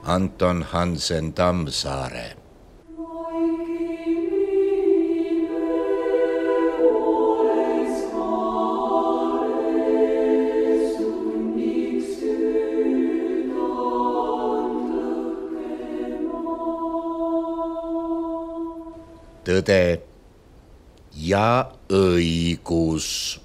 Anton Hansen Tammsaare. Tõde ja õigus.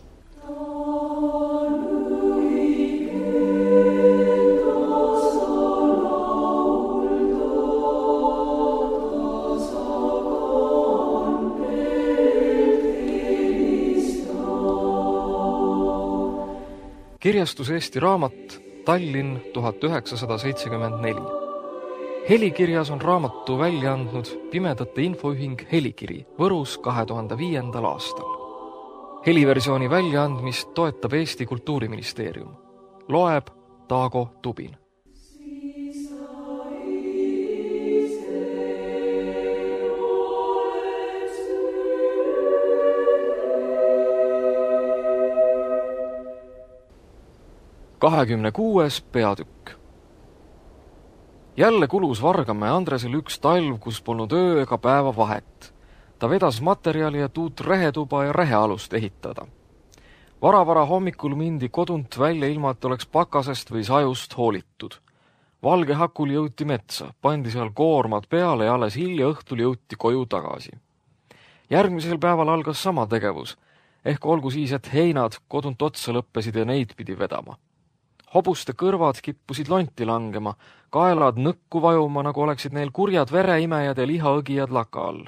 Kirjastus Eesti Raamat, Tallinn 1974. Helikirjas on raamatu välja andnud Pimedate Infoühing Helikiri Võrus 2005. aastal. Heliversiooni väljaandmist toetab Eesti Kultuuriministeerium. Loeb Taago Tubin. Kahekümnekuues peatükk. Jälle kulus Vargamäe Andresel üks talv, kus polnud öö ega päeva vahet. Ta vedas materjali, et uut rehetuba ja rehealust ehitada. Vara hommikul mindi kodunt välja ilma, et oleks pakasest või sajust hoolitud. Valge hakul jõuti metsa, pandi seal koormad peale ja alles hilja õhtul jõuti koju tagasi. Järgmisel päeval algas sama tegevus, ehk olgu siis, et heinad kodunt otsa lõppesid ja neid pidi vedama. Hobuste kõrvad kippusid lonti langema, kaelad nõkku vajuma, nagu oleksid neil kurjad vereimejad ja lihaõgijad laka all.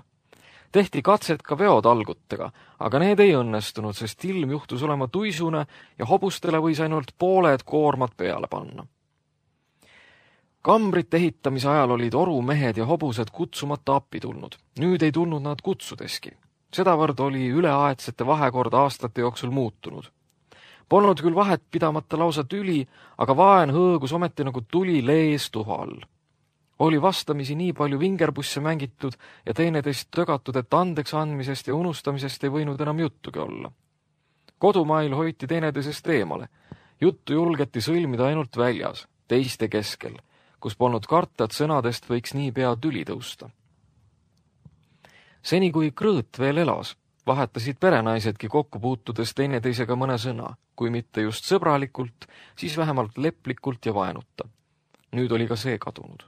Tehti katset ka veotalgutega, aga need ei õnnestunud, sest ilm juhtus olema tuisune ja hobustele võis ainult pooled koormad peale panna. Kambrit ehitamise ajal olid orumehed ja hobused kutsumata appi tulnud. Nüüd ei tulnud nad kutsudeski. Sedavõrd oli üleaedsete vahekord aastate jooksul muutunud. Polnud küll vahet pidamata lausa tüli, aga vaen hõõgus ometi nagu tuli lees tuha all. Oli vastamisi nii palju vingerbusse mängitud ja teineteist tögatud, et andeks andmisest ja unustamisest ei võinud enam juttugi olla. Kodumail hoiti teineteisest eemale. Juttu julgeti sõlmida ainult väljas, teiste keskel, kus polnud karta, et sõnadest võiks nii pea tüli tõusta. Seni kui Krõõt veel elas, vahetasid perenaisedki kokku puutudes teineteisega mõne sõna, kui mitte just sõbralikult, siis vähemalt leplikult ja vaenuta. Nüüd oli ka see kadunud.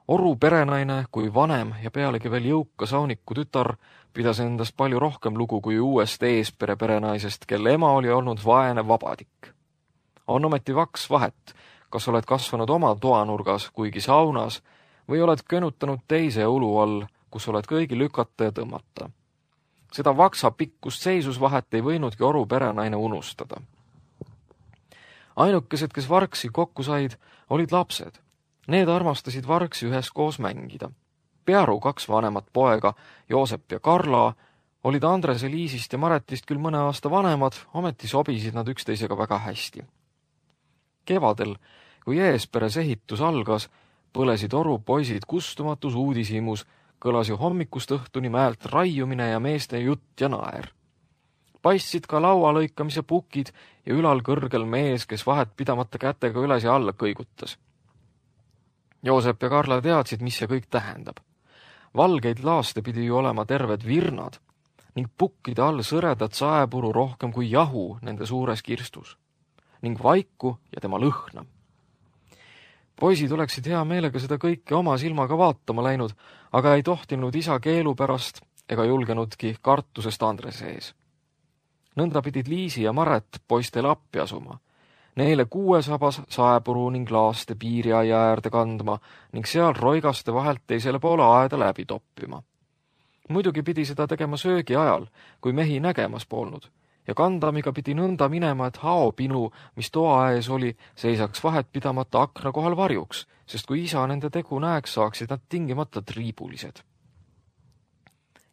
Oru perenaine kui vanem ja pealegi veel jõuka sauniku tütar pidas endast palju rohkem lugu kui uuest eespere perenaisest, kelle ema oli olnud vaene vabadik. On ometi vaks vahet, kas oled kasvanud oma toanurgas, kuigi saunas, või oled könutanud teise ulu all, kus oled kõigi lükata ja tõmmata. Seda vaksa pikkust seisusvahet ei võinudki Oru perenaine unustada. Ainukesed, kes vargsi kokku said, olid lapsed. Need armastasid vargsi üheskoos mängida. Pearu 2 vanemat poega, Joosep ja Karla, olid Andrese, Liisist ja Maretist küll mõne aasta vanemad, ometi sobisid nad üksteisega väga hästi. Kevadel, kui eesperes ehitus algas, põlesid Oru poisid kustumatus uudishimus, kõlas ju hommikust õhtuni mäelt raiumine ja meeste jutt ja naer. Paistsid ka laualõikamise pukid ja ülal kõrgel mees, kes vahet pidamata kätega üles ja alla kõigutas. Joosep ja Karla teadsid, mis see kõik tähendab. Valgeid laaste pidi ju olema terved virnad ning pukkide all sõredat saepuru rohkem kui jahu nende suures kirstus ning vaiku ja tema lõhna. Poisid oleksid hea meelega seda kõike oma silmaga vaatama läinud, aga ei tohtinud isa keelu pärast ega julgenudki kartusest Andrese ees. Nõnda pidid Liisi ja Maret poistele appi asuma. Neile 6 sabas saepuru ning laaste piiriaia äärde kandma ning seal roigaste vahelt teisele poole aeda läbi toppima. Muidugi pidi seda tegema söögi ajal, kui mehi nägemas polnud, ja kandamiga pidi nõnda minema, et haopinu, mis toa ees oli, seisaks vahet pidamata akna kohal varjuks, sest kui isa nende tegu näeks, saaksid nad tingimata triibulised.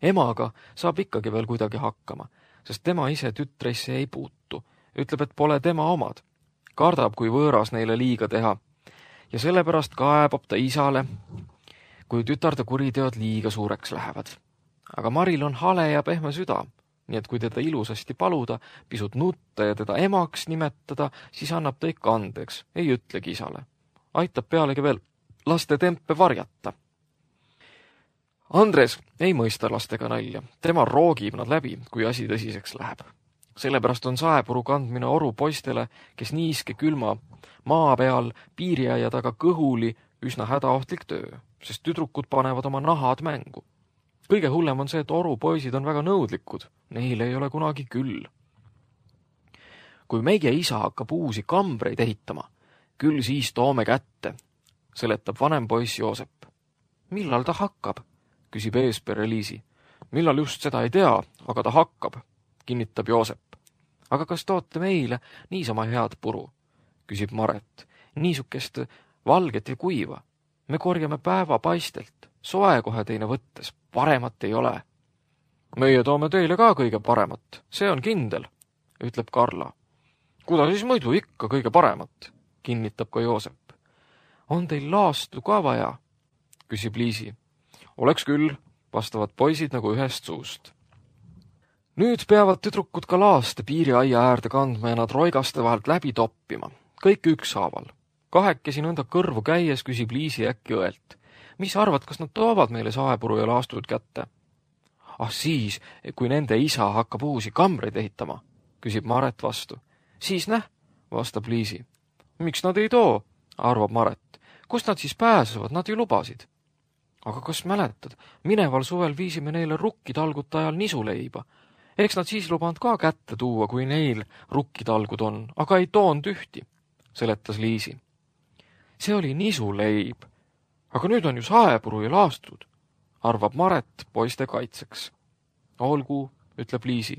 Emaga saab ikkagi veel kuidagi hakkama, sest tema ise tütreisse ei puutu, ütleb, et pole tema omad. Kardab, kui võõras neile liiga teha, ja sellepärast kaebab ta isale, kui tütarde kuriteod liiga suureks lähevad. Aga Maril on hale ja pehme süda, nii et kui teda ilusasti paluda, pisut nutta ja teda emaks nimetada, siis annab ta ikka andeks, ei ütlegi isale. Aitab pealegi veel laste tempe varjata. Andres ei mõista lastega nalja, tema roogib nad läbi, kui asi tõsiseks läheb. Sellepärast on saepuru kandmine oru poistele, kes niiske külma maa peal piiriaia taga kõhuli üsna hädaohtlik töö, sest tüdrukud panevad oma nahad mängu. Kõige hullem on see, et oru poisid on väga nõudlikud, neil ei ole kunagi küll. Kui meie isa hakkab uusi kambreid ehitama, küll siis toome kätte, seletab vanem poiss Joosep. Millal ta hakkab? Küsib eespere Liisi. Millal just seda ei tea, aga ta hakkab, kinnitab Joosep. Aga kas toote meile niisama head puru? Küsib Maret. Niisukest valget ja kuiva. Me korjame päeva paistelt, soe kohe teine võttes, paremat ei ole. Meie toome teile ka kõige paremat, see on kindel, ütleb Karla. Kuda siis muidu ikka kõige paremat, kinnitab ka Joosep. On teil laastu ka vaja? Küsib Liisi. Oleks küll, vastavad poisid nagu ühest suust. Nüüd peavad tüdrukud ka laaste piiriaia äärde kandma ja nad roigaste vahelt läbi toppima. Kõik ükshaaval. Kahekesi nõnda kõrvu käies küsib Liisi äkki õelt. Mis arvad, kas nad toovad meile saepuru ja laastud kätte? Ah siis, kui nende isa hakkab uusi kambreid ehitama, küsib Maret vastu. Siis näh, vastab Liisi. Miks nad ei too, arvab Maret. Kust nad siis pääsevad, nad ju lubasid. Aga kas mäletad, mineval suvel viisime neile rukkitalgute ajal nisuleiba. Eks nad siis lubanud ka kätte tuua, kui neil rukkitalgud on, aga ei toonud ühti, seletas Liisi. See oli nisuleib, aga nüüd on ju saepuru ja laastud, arvab Maret poiste kaitseks. Olgu, ütleb Liisi,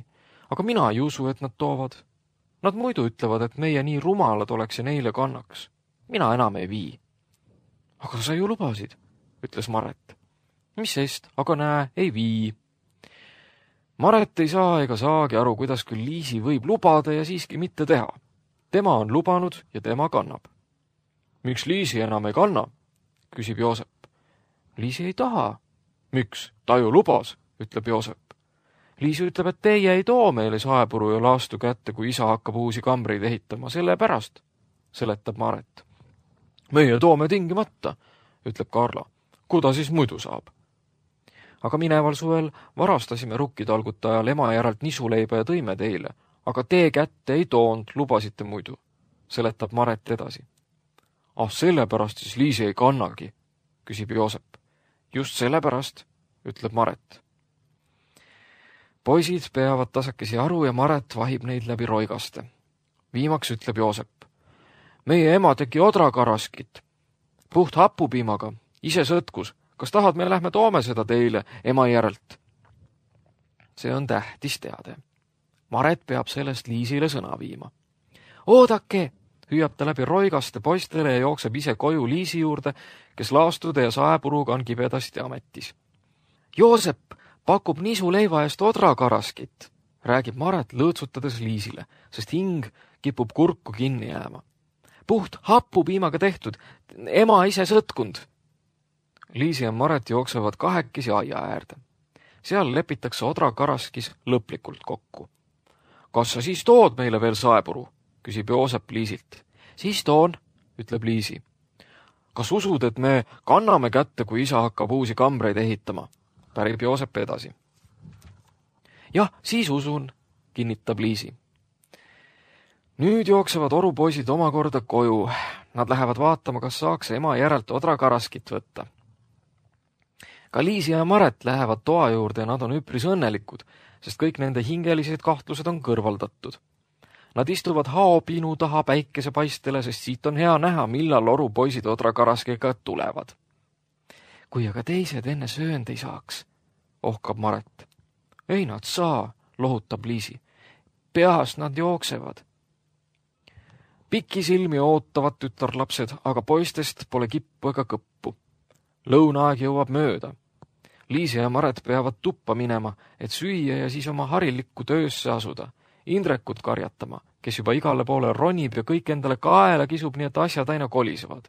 aga mina ei usu, et nad toovad. Nad muidu ütlevad, et meie nii rumalad oleks ja neile kannaks. Mina enam ei vii. Aga sa ju lubasid, ütles Maret. Mis sest, aga näe, ei vii. Maret ei saa ega saagi aru, kuidas küll Liisi võib lubada ja siiski mitte teha. Tema on lubanud ja tema kannab. Miks Liisi enam ei kanna? Küsib Joosep. Liisi ei taha. Miks? Ta ju lubas, ütleb Joosep. Liisi ütleb, et teie ei too meile saepuru ja laastu kätte, kui isa hakkab uusi kambreid ehitama, selle pärast, seletab Maret. Meie toome tingimata, ütleb Karla. Kuda siis muidu saab? Aga mineval suvel varastasime rukkitalgute ajal ema järelt nisuleiba ja tõime teile, aga tee kätte ei toonud, lubasite muidu, seletab Maret edasi. Ah, sellepärast siis Liisi ei kannagi, küsib Joosep. Just sellepärast, ütleb Maret. Poisid peavad tasakesi aru ja Maret vahib neid läbi roigaste. Viimaks ütleb Joosep. Meie ema tegi odrakaraskit. Puht hapupiimaga, ise sõtkus. Kas tahad, me lähme toome seda teile ema järelt? See on tähtis teade. Maret peab sellest Liisile sõna viima. Oodake, hüüab ta läbi roigaste poistele ja jookseb ise koju Liisi juurde, kes laastude ja saepuruga on kibedasti ametis. Joosep pakub nisuleiva eest odrakaraskit, räägib Maret lõõtsutades Liisile, sest hing kipub kurku kinni jääma. Puht hapupiimaga tehtud, ema ise sõtkund. Liisi ja Maret jooksevad kahekesi aia äärde. Seal lepitakse odrakaraskis lõplikult kokku. Kas sa siis tood meile veel saepuru? Küsib Joosep Liisilt. Siis toon, ütleb Liisi. Kas usud, et me kanname kätte, kui isa hakkab uusi kambreid ehitama? Pärib Joosep edasi. Jah, siis usun, kinnitab Liisi. Nüüd jooksevad orupoisid omakorda koju. Nad lähevad vaatama, kas saaks ema järelt odrakaraskit võtta. Ka Liisi ja Maret lähevad toa juurde ja nad on üpris õnnelikud, sest kõik nende hingelised kahtlused on kõrvaldatud. Nad istuvad haopinu taha päikesepaistele, sest siit on hea näha, millal orupoisid odrakaraskega tulevad. Kui aga teised enne söönd ei saaks, ohkab Maret. Ei nad saa, lohutab Liisi. Peas nad jooksevad. Pikisilmi ootavad tütarlapsed, aga poistest pole kippu ega kõppu. Lõunaaeg jõuab mööda. Liisi ja Maret peavad tuppa minema, et süüa ja siis oma harilikku töösse asuda. Indrekut karjatama, kes juba igale poole ronib ja kõik endale kaela kisub, nii et asjad aina kolisevad.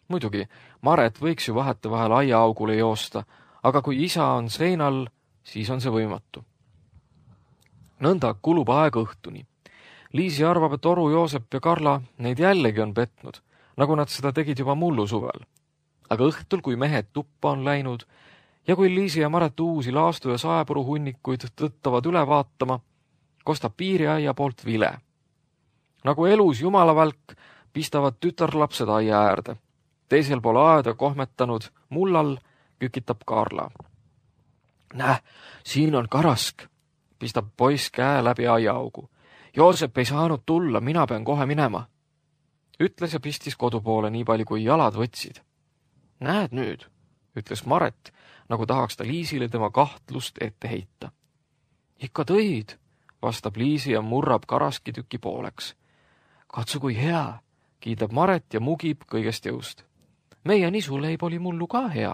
Muidugi, Maret võiks ju vahetevahel aiaaugule joosta, aga kui isa on seinal, siis on see võimatu. Nõnda kulub aeg õhtuni. Liisi arvab, et oru Joosep ja Karla neid jällegi on petnud. nagu nad seda tegid juba mullu suvel. Aga õhtul, kui mehed tuppa on läinud ja kui Liisi ja Maret uusi laastu ja saepuru hunnikuid tõttavad üle vaatama, kostab piiriaia poolt vile. Nagu elus jumalavälk pistavad tütarlapsed aia äärde. Teisel pool aeda kohmetanud mullal kükitab Karla. Näe, siin on karask, pistab poiss käe läbi aiaaugu. Joosep ei saanud tulla, mina pean kohe minema. Ütles ja pistis kodu poole nii palju, kui jalad võtsid. Näed nüüd, ütles Maret, nagu tahaks ta Liisile tema kahtlust ette heita. Ikka tõid, vastab Liisi ja murrab karaski tüki pooleks. Katsu kui hea, kiidab Maret ja mugib kõigest jõust. Meie nisuleib oli mullu ka hea,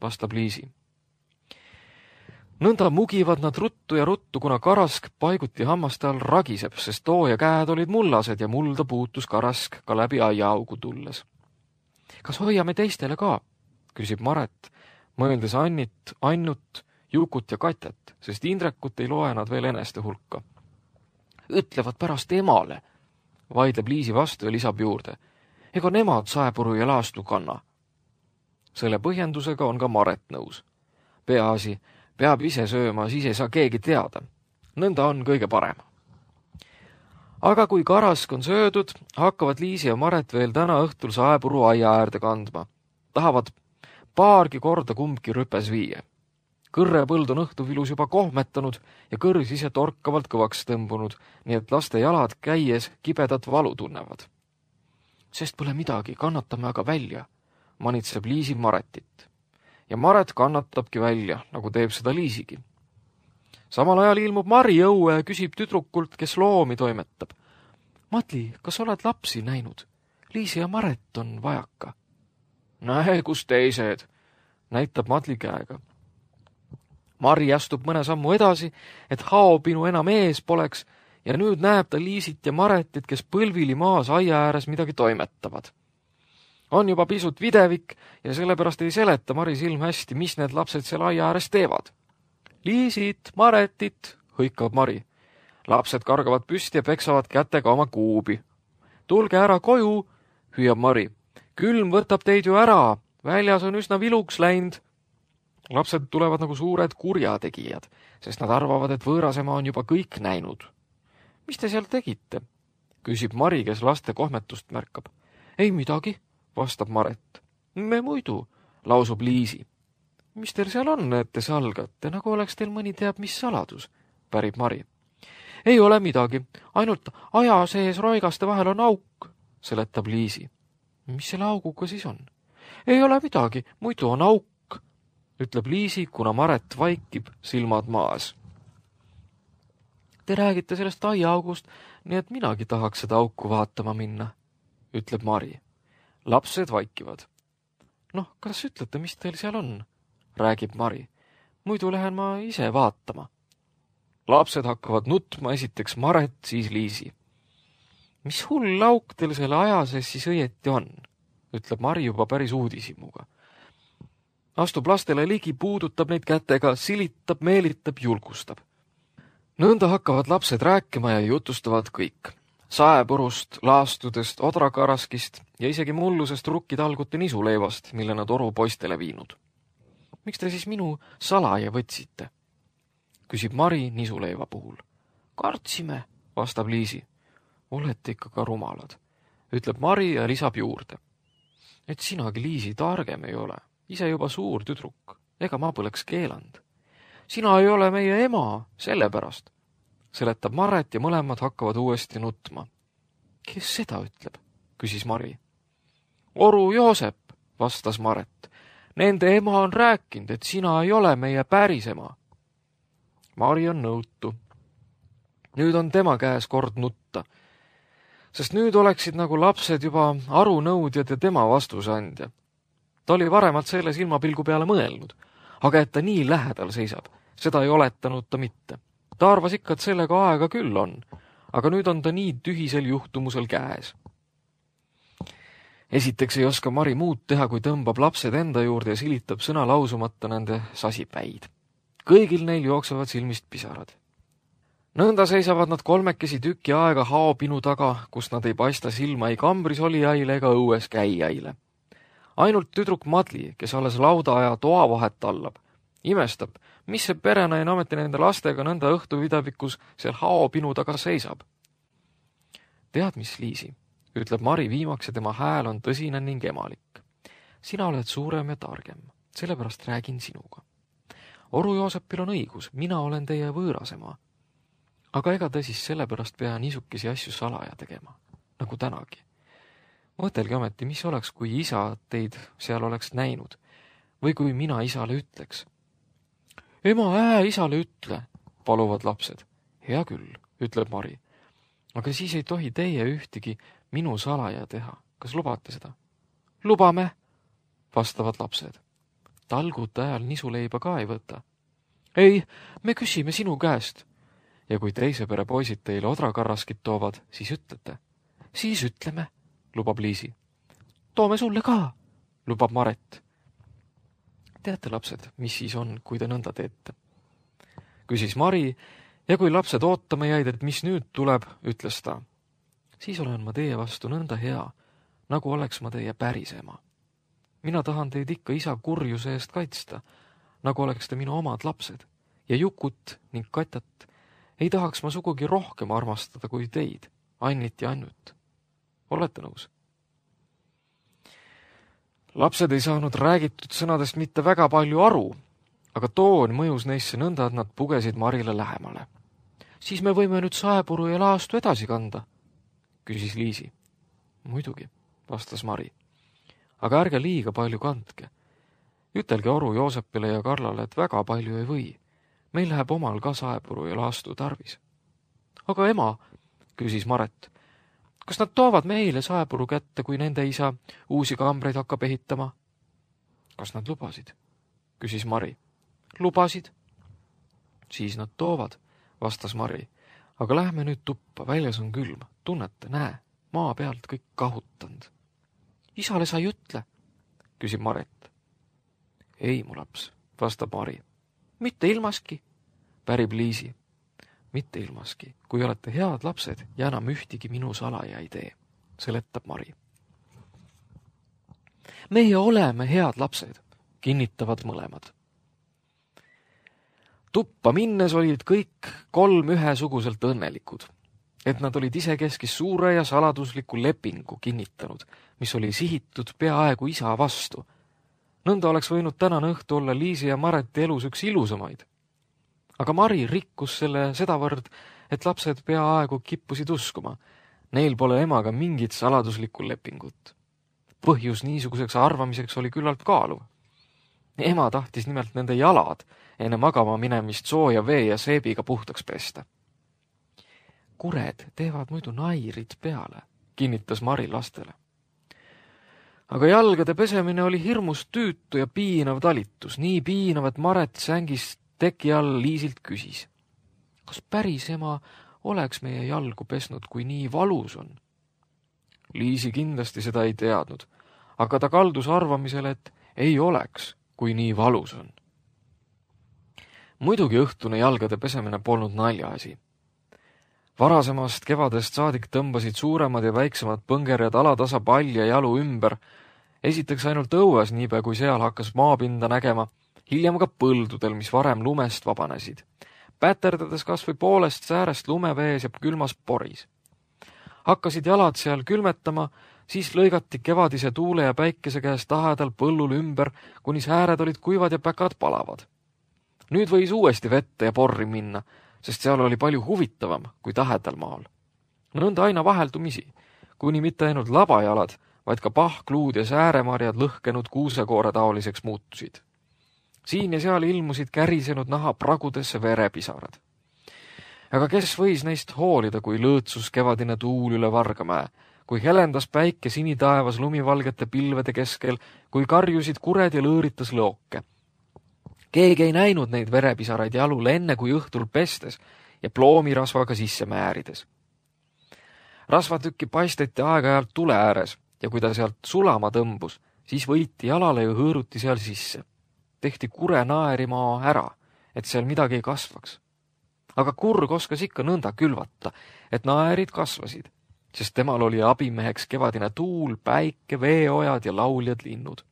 vastab Liisi. Nõnda mugivad nad ruttu ja ruttu, kuna karask paiguti hammaste all ragiseb, sest too ja käed olid mullased ja mulda puutus karask ka läbi aiaaugu tulles. Kas hoiame teistele ka? Küsib Maret, mõeldes Annut, Jukut ja Katjat, sest Indrekut ei loe nad veel eneste hulka. Ütlevad pärast emale, vaidleb Liisi vastu ja lisab juurde. Ega nemad saepuru ja laastu kanna. Selle põhjendusega on ka Maret nõus. Peaasi, peab ise sööma, siis ei saa keegi teada. Nõnda on kõige parem. Aga kui karask on söödud, hakkavad Liisi ja Maret veel täna õhtul saepuru aia äärde kandma. Tahavad paargi korda kumbki rüpes viia. Kõrrepõld on õhtuvilus juba kohmetanud ja kõrs ise torkavalt kõvaks tõmbunud, nii et laste jalad käies kibedat valu tunnevad. Sest pole midagi, kannatame aga välja, manitseb Liisi Maretit. Ja Maret kannatabki välja, nagu teeb seda Liisigi. Samal ajal ilmub Mari õue ja küsib tüdrukult, kes loomi toimetab. Matli, kas oled lapsi näinud? Liisi ja Maret on vajaka. Näe, kus teised, näitab Matli käega. Mari astub mõne sammu edasi, et haopinu enam ees poleks, ja nüüd näeb ta Liisit ja Maretit, kes põlvili maas aia ääres midagi toimetavad. On juba pisut videvik ja sellepärast ei seleta Mari silm hästi, mis need lapsed seal aia ääres teevad. Liisit, Maretit, hõikab Mari. Lapsed kargavad püsti ja peksavad kätega oma kuubi. Tulge ära koju, hüüab Mari. Külm võtab teid ju ära, väljas on üsna viluks läinud. Lapsed tulevad nagu suured kurjategijad, sest nad arvavad, et võõrasema on juba kõik näinud. Mis te seal tegite? Küsib Mari, kes laste kohmetust märkab. Ei midagi, vastab Maret. Me muidu, lausub Liisi. Mis teil seal on, et te salgate, nagu oleks teil mõni teab mis saladus, pärib Mari. Ei ole midagi, ainult aja sees roigaste vahel on auk, seletab Liisi. Mis selle auguga siis on? Ei ole midagi, muidu on auk, ütleb Liisi, kuna Maret vaikib silmad maas. Te räägite sellest aiaaugust, nii et minagi tahaks seda auku vaatama minna, ütleb Mari. Lapsed vaikivad. Noh, kas ütlete, mis teil seal on? Räägib Mari. Muidu lähen ma ise vaatama. Lapsed hakkavad nutma, esiteks Maret, siis Liisi. Mis hull auk teil selle aja sees siis õieti on, ütleb Mari juba päris uudishimuga. Astub lastele ligi, puudutab neid kätega, silitab, meelitab, julgustab. Nõnda hakkavad lapsed rääkima ja jutustavad kõik. Saepurust, laastudest, odrakaraskist ja isegi mullusest rukkitalgute nisuleivast, mille nad oru poistele viinud. Miks te siis minu salaja võtsite? Küsib Mari nisuleiva puhul. Kartsime, vastab Liisi. Olete ikka ka rumalad, ütleb Mari ja lisab juurde. Et sinagi, Liisi, targem ei ole, ise juba suur tüdruk, ega ma poleks keelanud. Sina ei ole meie ema, sellepärast, seletab Maret ja mõlemad hakkavad uuesti nutma. Kes seda ütleb, küsis Mari. Oru Joosep, vastas Maret. Nende ema on rääkinud, et sina ei ole meie päris ema. Mari on nõutu. Nüüd on tema käes kord nutta, sest nüüd oleksid nagu lapsed juba arunõudjad ja tema vastusandja. Ta oli varemalt selle silmapilgu peale mõelnud, aga et ta nii lähedal seisab, seda ei oletanud ta mitte. Ta arvas ikka, et sellega aega küll on, aga nüüd on ta nii tühisel juhtumusel käes. Esiteks ei oska Mari muud teha, kui tõmbab lapsed enda juurde ja silitab sõna lausumata nende sasipäid. Kõigil neil jooksevad silmist pisarad. Nõnda seisavad nad kolmekesi tüki aega haopinu taga, kus nad ei paista silma ei kambris olijaile ega õues käijaile. Ainult tüdruk Madli, kes alles lauda ja toa vahet tallab, imestab, mis see perenaine ameti nende lastega nõnda õhtuvidavikus seal haopinu taga seisab. Tead, mis, Liisi, ütleb Mari viimaks ja tema hääl on tõsine ning emalik. Sina oled suurem ja targem, sellepärast räägin sinuga. Oru Joosepil on õigus, mina olen teie võõrasema. Aga ega ta siis sellepärast pea niisukesi asju salaja tegema, nagu tänagi. Mõtelge ometi, mis oleks, kui isa teid seal oleks näinud või kui mina isale ütleks. Ema, isale ütle, paluvad lapsed. Hea küll, ütleb Mari. Aga siis ei tohi teie ühtegi minu salaja teha. Kas lubate seda? Lubame, vastavad lapsed. Talgute ajal nisuleiba ka ei võta. Ei, me küsime sinu käest. Ja kui teise pere poisid teile odrakarraskid toovad, siis ütlete. Siis ütleme, lubab Liisi. Toome sulle ka, lubab Maret. Teate, lapsed, mis siis on, kui te nõnda teete? Küsis Mari ja kui lapsed ootama jäid, et mis nüüd tuleb, ütles ta. Siis olen ma teie vastu nõnda hea, nagu oleks ma teie päris ema. Mina tahan teid ikka isa kurjuse eest kaitsta, nagu oleks te minu omad lapsed. Ja Jukut ning Katjat ei tahaks ma sugugi rohkem armastada kui teid, Annit ja Annut. Olete nõus? Lapsed ei saanud räägitud sõnadest mitte väga palju aru, aga toon mõjus neisse nõnda, et nad pugesid Marile lähemale. Siis me võime nüüd saepuru ja laastu edasi kanda, küsis Liisi. Muidugi, vastas Mari. Aga ärge liiga palju kandke. Ütelge Oru Joosepile ja Karlale, et väga palju ei või. Meil läheb omal ka saepuru ja laastu tarvis. Aga ema, küsis Maret, kas nad toovad meile saepuru kätte, kui nende isa uusi kambreid hakkab ehitama? Kas nad lubasid? Küsis Mari. Lubasid? Siis nad toovad, vastas Mari. Aga lähme nüüd tuppa, väljas on külm. Tunnete, näe, maa pealt kõik kahutanud. Isale sa ei ütle, küsib Maret. Ei, mu laps, vastab Mari. Mitte ilmaski, pärib Liisi. Mitte ilmaski, kui olete head lapsed ja enam ühtigi minu salaja ei tee, seletab Mari. Meie oleme head lapsed, kinnitavad mõlemad. Tuppa minnes olid kõik kolm ühesuguselt õnnelikud, et nad olid isekeskis suure ja saladusliku lepingu kinnitanud, mis oli sihitud peaaegu isa vastu. Nõnda oleks võinud tänane õhtu olla Liisi ja Mareti elus üks ilusamaid. Aga Mari rikkus selle sedavõrd, et lapsed peaaegu kippusid uskuma. Neil pole emaga mingit saladuslikku lepingut. Põhjus niisuguseks arvamiseks oli küllalt kaaluv. Ema tahtis nimelt nende jalad enne magama minemist sooja vee ja seebiga puhtaks pesta. Kured teevad muidu nairid peale, kinnitas Mari lastele. Aga jalgade pesemine oli hirmus tüütu ja piinav talitus, nii piinav, et Maret sängist teki all Liisilt küsis. Kas päris ema oleks meie jalgu pesnud, kui nii valus on? Liisi kindlasti seda ei teadnud, aga ta kaldus arvamisele, et ei oleks, kui nii valus on. Muidugi õhtune jalgade pesemine polnud naljaasi. Varasemast kevadest saadik tõmbasid suuremad ja väiksemad põngerjad alatasa palja jalu ümber, esiteks ainult õues, niipea kui seal hakkas maapinda nägema, hiljem ka põldudel, mis varem lumest vabanesid, päterdades kas või poolest säärest lumevees ja külmas poris. Hakkasid jalad seal külmetama, siis lõigati kevadise tuule ja päikese käest tahedal põllul ümber, kuni sääred olid kuivad ja päkad palavad. Nüüd võis uuesti vette ja porri minna, sest seal oli palju huvitavam kui tahedal maal. Nõnda aina vaheldumisi, kuni mitte ainult labajalad, vaid ka pahkluud ja sääremarjad lõhkenud kuusekoore taoliseks muutusid. Siin ja seal ilmusid kärisenud naha pragudesse verepisarad. Aga kes võis neist hoolida, kui lõõtsus kevadine tuul üle Vargamäe, kui helendas päike sinitaevas lumivalgete pilvede keskel, kui karjusid kured ja lõõritas lõoke. Keegi ei näinud neid verepisaraid jalule enne kui õhtul pestes ja ploomirasvaga sisse määrides. Rasvatükki paisteti aeg-ajalt tule ääres ja kui ta sealt sulama tõmbus, siis võiti jalale ja hõõruti seal sisse. Tehti kure naerimaa ära, et seal midagi ei kasvaks. aga kurg oskas ikka nõnda külvata, et naerid kasvasid, sest temal oli abimeheks kevadine tuul, päike, veeojad ja lauljad linnud.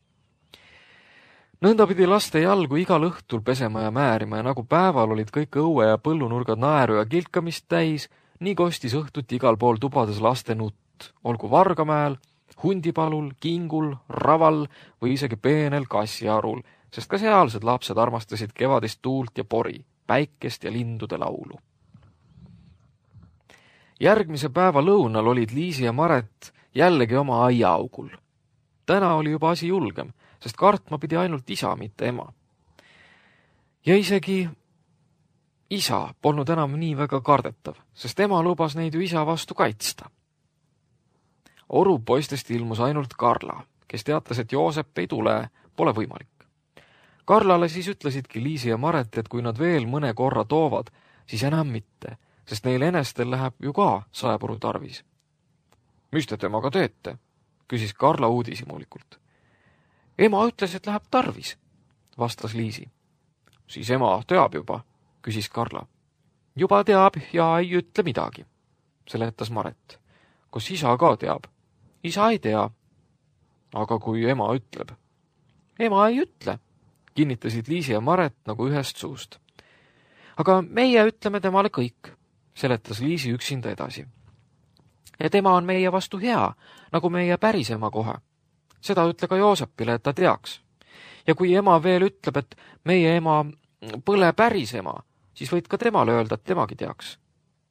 Nõnda pidi laste jalgu igal õhtul pesema ja määrima ja nagu päeval olid kõik õue ja põllunurgad naeru ja kilkamist täis, nii kostis õhtuti igal pool tubades laste nutt, olgu Vargamäel, Hundipalul, Kingul, Raval või isegi peenel kassiarul, sest ka sealsed lapsed armastasid kevadist tuult ja pori, päikest ja lindude laulu. Järgmise päeva lõunal olid Liisi ja Maret jällegi oma aiaaugul. Täna oli juba asi julgem, sest kartma pidi ainult isa, mitte ema. Ja isegi isa polnud enam nii väga kardetav, sest ema lubas neid ju isa vastu kaitsta. Oru poistest ilmus ainult Karla, kes teatas, et Joosep ei tule, pole võimalik. Karlale siis ütlesidki Liisi ja Maret, et kui nad veel mõne korra toovad, siis enam mitte, sest neil enestel läheb ju ka saepuru tarvis. Mis te temaga teete? Küsis Karla uudishimulikult. Ema ütles, et läheb tarvis, vastas Liisi. Siis ema teab juba, küsis Karla. Juba teab ja ei ütle midagi, seletas Maret. Kas isa ka teab? Isa ei tea. Aga kui ema ütleb? Ema ei ütle, kinnitasid Liisi ja Maret nagu ühest suust. Aga meie ütleme temale kõik, seletas Liisi üksinda edasi. Ja tema on meie vastu hea, nagu meie päris ema kohe. Seda ütle ka Joosepile, et ta teaks. Ja kui ema veel ütleb, et meie ema pole päris ema, siis võid ka temale öelda, et temagi teaks.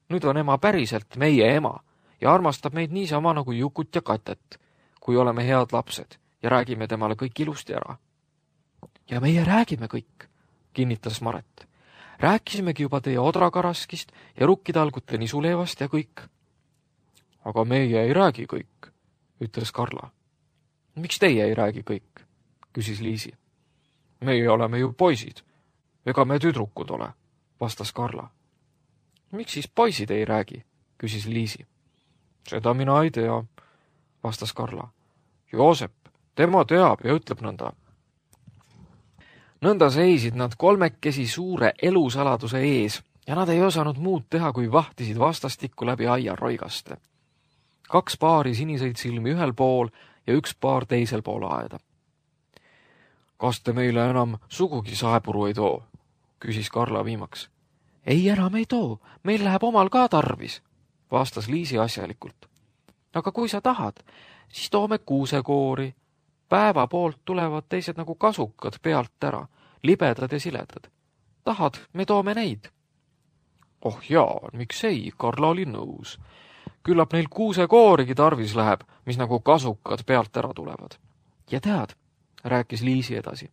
Nüüd on ema päriselt meie ema ja armastab meid niisama nagu Jukut ja Katet, kui oleme head lapsed ja räägime temale kõik ilusti ära. Ja meie räägime kõik, kinnitas Maret. Rääkisimegi juba teie odrakaraskist ja rukkitalgute nisuleevast ja kõik. Aga meie ei räägi kõik, ütles Karla. Miks teie ei räägi kõik, küsis Liisi. Meie oleme ju poisid, ega me tüdrukud ole, vastas Karla. Miks siis poisid ei räägi, küsis Liisi. Seda mina ei tea, vastas Karla. Joosep, tema teab ja ütleb nõnda. Nõnda seisid nad kolmekesi suure elusaladuse ees ja nad ei osanud muud teha, kui vahtisid vastastikku läbi aia roigaste. 2 paari siniseid silmi ühel pool ja 1 paar teisel pool aeda. Kas te meile enam sugugi saepuru ei too, küsis Karla viimaks. Ei enam ei too, meil läheb omal ka tarvis, vastas Liisi asjalikult. Aga kui sa tahad, siis toome kuusekoori. Päeva poolt tulevad teised nagu kasukad pealt ära, libedad ja siledad. Tahad, me toome neid. Oh jaa, miks ei, Karla oli nõus. Küllap neil kuusekoorigi tarvis läheb, mis nagu kasukad pealt ära tulevad. Ja tead, rääkis Liisi edasi,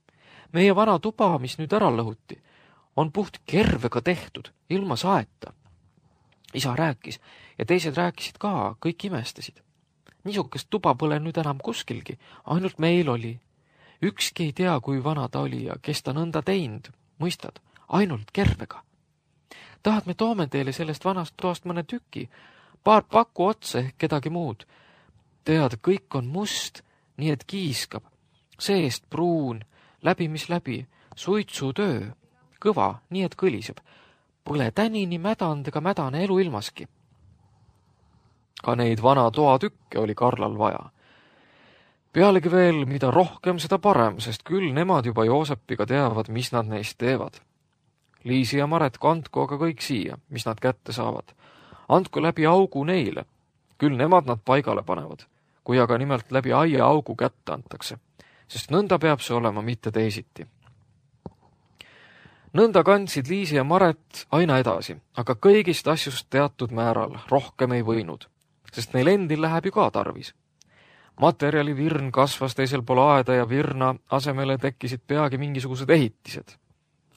meie vana tuba, mis nüüd ära lõhuti, on puht kervega tehtud, ilma saeta. Isa rääkis ja teised rääkisid ka, kõik imestasid. Niisugust tuba pole nüüd enam kuskilgi, ainult meil oli. Ükski ei tea, kui vana ta oli ja kes ta nõnda teinud, mõistad, ainult kervega. Tahad, me toome teile sellest vanast toast mõne tüki, paar paku otsa ehk kedagi muud. Tead, kõik on must, nii et kiiskab, seest pruun, läbi mis läbi, suitsutöö, kõva, nii et kõliseb. Põle tänini mädand ega mädane elu ilmaski. Ka neid vana toatükke oli Karlal vaja. Pealegi veel, mida rohkem, seda parem, sest küll nemad juba Joosepiga teavad, mis nad neist teevad. Liisi ja Maret kandku aga kõik siia, mis nad kätte saavad. Andku läbi augu neile. Küll nemad nad paigale panevad, kui aga nimelt läbi aia augu kätte antakse, sest nõnda peab see olema, mitte teisiti. Nõnda kandsid Liisi ja Maret aina edasi, aga kõigist asjust teatud määral rohkem ei võinud, sest neil endil läheb ju ka tarvis. Materjali virn kasvas teisel pool aeda ja virna asemele tekkisid peagi mingisugused ehitised.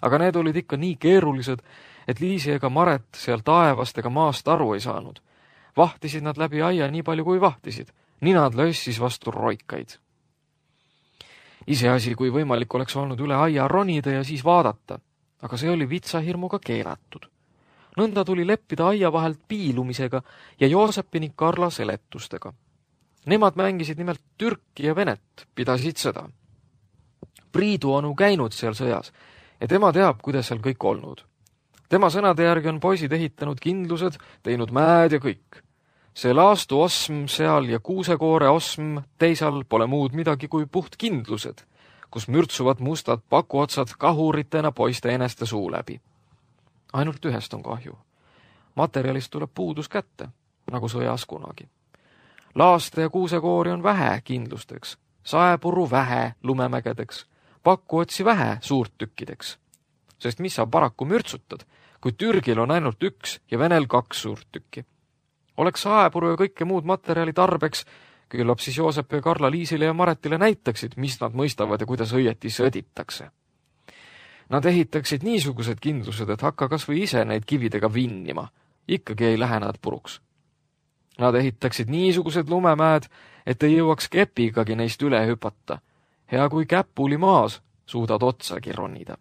Aga need olid ikka nii keerulised, et Liisi ega Maret seal taevast ega maast aru ei saanud. Vahtisid nad läbi aia nii palju kui vahtisid, ninad lössis vastu roikaid. Iseasi, kui võimalik oleks olnud üle aia ronida ja siis vaadata, aga see oli vitsahirmuga keelatud. Nõnda tuli leppida aia vahelt piilumisega ja Joosepi ning Karla seletustega. Nemad mängisid nimelt Türki ja Venet, pidasid seda. Priidu onu käinud seal sõjas ja tema teab, kuidas seal kõik olnud. Tema sõnade järgi on poisid ehitanud kindlused, teinud mäed ja kõik. See laastu osm seal ja kuusekoore osm teisal pole muud midagi kui puht kindlused, kus mürtsuvad mustad pakuotsad kahuritena poiste eneste suu läbi. Ainult ühest on kahju. Materjalist tuleb puudus kätte, nagu sõjas kunagi. Laaste ja kuusekoori on vähe kindlusteks, saepuru vähe lumemägedeks, pakuotsi vähe suurttükkideks. Sest mis sa paraku mürtsutad, kui Türgil on ainult üks ja Venel 2 suurt tükki. Oleks saepuru ja kõike muud materjali tarbeks, küllap siis Joosep ja Karla Liisile ja Maretile näitaksid, mis nad mõistavad ja kuidas õieti sõditakse. Nad ehitaksid niisugused kindlused, et hakka kas või ise neid kividega vinnima. Ikkagi ei lähe nad puruks. Nad ehitaksid niisugused lumemäed, et ei jõuaks kepigagi neist üle hüpata. Hea kui käpuli maas suudad otsagi ronida.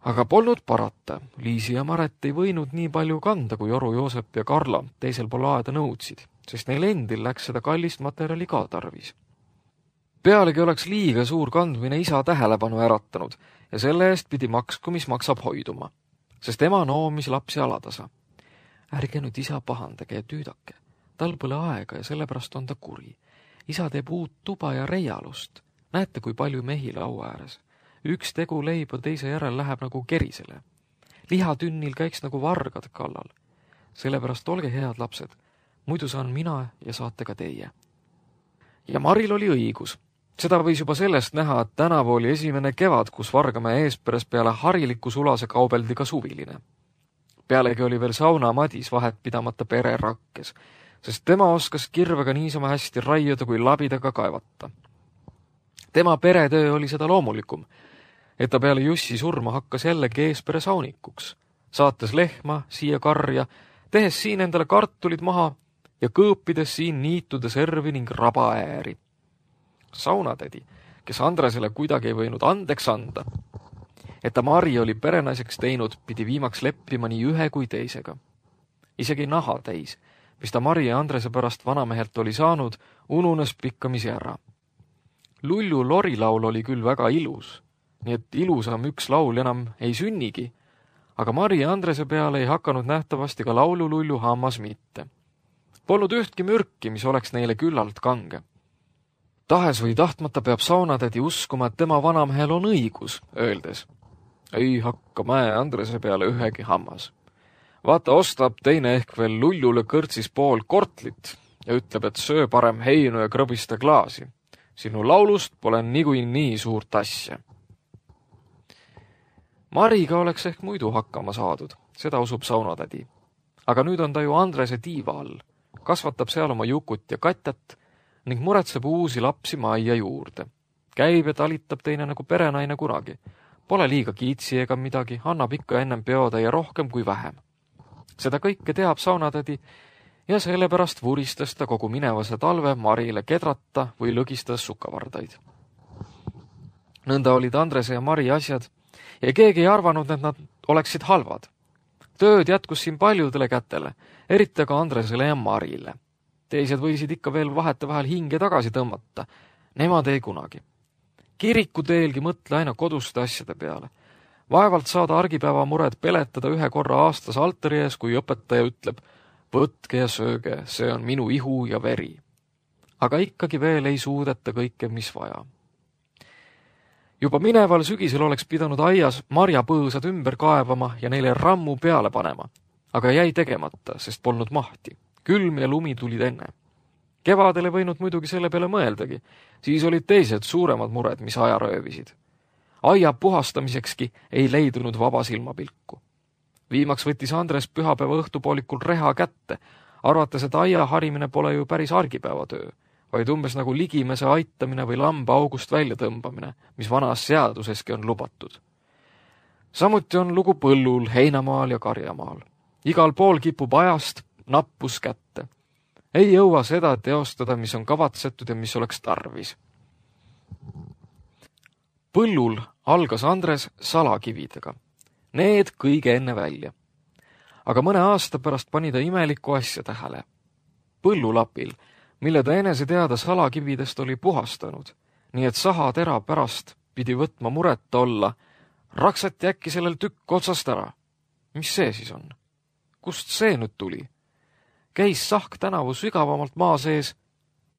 Aga polnud parata. Liisi ja Maret ei võinud nii palju kanda, kui Oru, Joosep ja Karla teisel pool aeda nõudsid, sest neil endil läks seda kallist materjali ka tarvis. Pealegi oleks liiga suur kandmine isa tähelepanu äratanud ja selle eest pidi maksku, mis maksab hoiduma, sest ema noomis lapsi alatasa. Ärge nüüd isa pahandage ja tüüdake. Tal pole aega ja sellepärast on ta kuri. Isa teeb uut tuba ja reialust. Näete, kui palju mehi laua ääres. Üks tegu leiba teise järel läheb nagu kerisele. Lihatünnil käiks nagu vargad kallal. Sellepärast olge head lapsed. Muidu saan mina ja saate ka teie. Ja Maril oli õigus. Seda võis juba sellest näha, et tänavu oli esimene kevad, kus Vargamäe eesperes peale hariliku sulase kaubeldi ka suviline. Pealegi oli veel sauna Madis vahet pidamata pere rakkes, sest tema oskas kirvega niisama hästi raiuda kui labidaga kaevata. Tema peretöö oli seda loomulikum, et ta peale Jussi surma hakkas jällegi eespere saunikuks, saates lehma siia karja, tehes siin endale kartulid maha ja kõõpides siin niitude servi ning rabaääri. Saunatädi, kes Andresele kuidagi ei võinud andeks anda, et ta Mari oli perenaiseks teinud, pidi viimaks leppima nii ühe kui teisega. Isegi naha täis, mis ta Mari ja Andrese pärast vanamehelt oli saanud, ununes pikkamisi ära. Lullu lorilaul oli küll väga ilus, nii et ilusam üks laul enam ei sünnigi, aga Mari ja Andrese peale ei hakanud nähtavasti ka laulu-lullu hammas mitte. Polnud ühtki mürki, mis oleks neile küllalt kange. Tahes või tahtmata peab saunatädi uskuma, et tema vanamehel on õigus, öeldes: ei hakka Mäe Andrese peale ühegi hammas. Vaata, ostab teine ehk veel Lullule kõrtsis pool kortlit ja ütleb, et söö parem heinu ja krõbista klaasi. Sinu laulust pole nii suurt asja. Mariga oleks ehk muidu hakkama saadud, seda usub saunatädi. Aga nüüd on ta ju Andrese tiiva all, kasvatab seal oma Jukut ja Katjat ning muretseb uusi lapsi majja juurde. Käib ja talitab teine nagu perenaine kunagi. Pole liiga kiitsi ega midagi, annab ikka ennem peotäie rohkem kui vähem. Seda kõike teab saunatädi ja sellepärast vuristas ta kogu minevase talve Marile kedrata või lõgistas sukkavardaid. Nõnda olid Andrese ja Mari asjad ja keegi ei arvanud, et nad oleksid halvad. Tööd jätkus siin paljudele kätele, eriti ka Andresele ja Marile. Teised võisid ikka veel vahetevahel hinge tagasi tõmmata, nemad ei kunagi. Kirikuteelgi mõtle aina koduste asjade peale. Vaevalt saada argipäeva mured peletada ühe korra aastas altari ees, kui õpetaja ütleb: võtke ja sööge, see on minu ihu ja veri. Aga ikkagi veel ei suudeta kõike, mis vaja. Juba mineval sügisel oleks pidanud aias marjapõõsad ümber kaevama ja neile rammu peale panema, aga jäi tegemata, sest polnud mahti. Külm ja lumi tulid enne. Kevadele võinud muidugi selle peale mõeldagi, siis olid teised suuremad mured, mis aja röövisid. Aia puhastamisekski ei leidunud vaba silmapilku. Viimaks võttis Andres pühapäeva õhtupoolikul reha kätte, arvates, et aia harimine pole ju päris argipäeva töö, vaid umbes nagu ligimese aitamine või lamba august välja tõmbamine, mis vanas seaduseski on lubatud. Samuti on lugu põllul, heinamaal ja karjamaal. Igal pool kipub ajast nappus kätte. Ei jõua seda teostada, mis on kavatsetud ja mis oleks tarvis. Põllul algas Andres salakividega. Need kõige enne välja. Aga mõne aasta pärast pani ta imelikku asja tähele. Põllulapil, mille ta enese teada salakividest oli puhastanud, nii et sahatera pärast pidi võtma mureta olla, raksati äkki sellel tükk otsast ära. Mis see siis on? Kust see nüüd tuli? Käis sahk tänavu sügavamalt maa sees?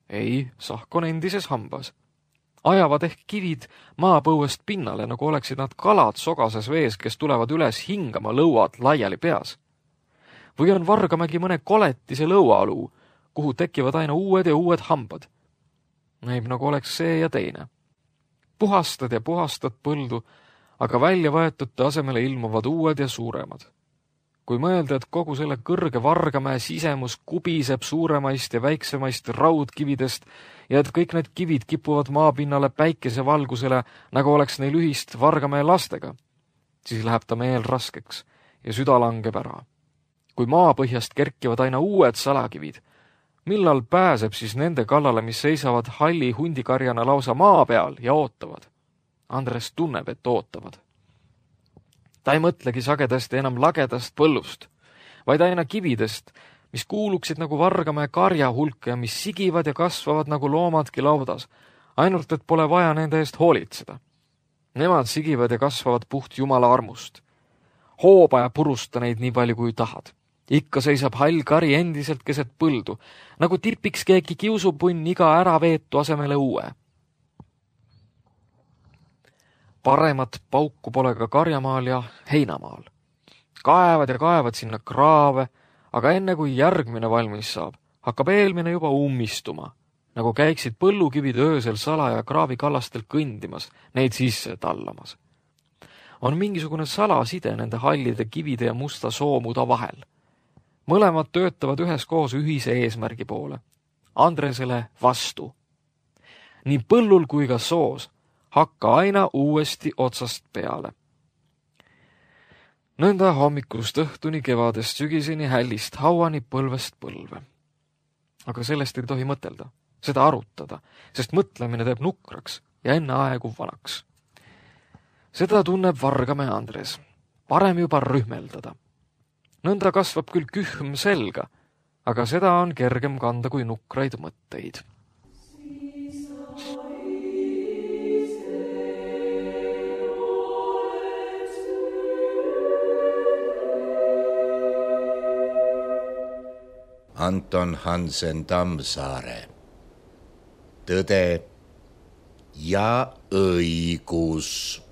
Ei, sahk on endises hambas. Ajavad ehk kivid maapõuest pinnale, nagu oleksid nad kalad sogases vees, kes tulevad üles hingama lõuad laiali peas. Või on Vargamägi mõne koletise lõuaaluu, kuhu tekivad aina uued ja uued hambad. Näib nagu oleks see ja teine. Puhastad ja puhastad põldu, aga välja võetute asemele ilmuvad uued ja suuremad. Kui mõelda, et kogu selle kõrge Vargamäe sisemus kubiseb suuremaist ja väiksemaist raudkividest ja et kõik need kivid kipuvad maapinnale päikesevalgusele, nagu oleks neil ühist Vargamäe lastega, siis läheb ta meel raskeks ja süda langeb ära. Kui maapõhjast kerkivad aina uued salakivid, millal pääseb siis nende kallale, mis seisavad halli hundikarjana lausa maa peal ja ootavad? Andres tunneb, et ootavad. Ta ei mõtlegi sagedasti enam lagedast põllust, vaid aina kividest, mis kuuluksid nagu Vargamäe karja hulka ja mis sigivad ja kasvavad nagu loomadki laudas, ainult et pole vaja nende eest hoolitseda. Nemad sigivad ja kasvavad puht Jumala armust. Hooba ja purusta neid nii palju kui tahad. Ikka seisab hall kari endiselt keset põldu, nagu tipiks keegi kiusupunn iga äraveetu asemele uue. Paremat pauku pole ka karjamaal ja heinamaal. Kaevad ja kaevad sinna kraave, aga enne kui järgmine valmis saab, hakkab eelmine juba ummistuma, nagu käiksid põllukivid öösel salaja kraavikallastel kõndimas, neid sisse tallamas. On mingisugune salaside nende hallide kivide ja musta soomuda vahel. Mõlemad töötavad üheskoos ühise eesmärgi poole. Andresele vastu. Nii põllul kui ka soos hakka aina uuesti otsast peale. Nõnda hommikust õhtuni, kevadest sügiseni, hällist hauani, põlvest põlve. Aga sellest ei tohi mõtelda, seda arutada, sest mõtlemine teeb nukraks ja enne aegu vanaks. Seda tunneb Vargamäe Andres. Parem juba rühmeldada. Nõnda kasvab küll kühm selga, aga seda on kergem kanda kui nukraid mõtteid. Anton Hansen Tammsaare. Tõde ja õigus.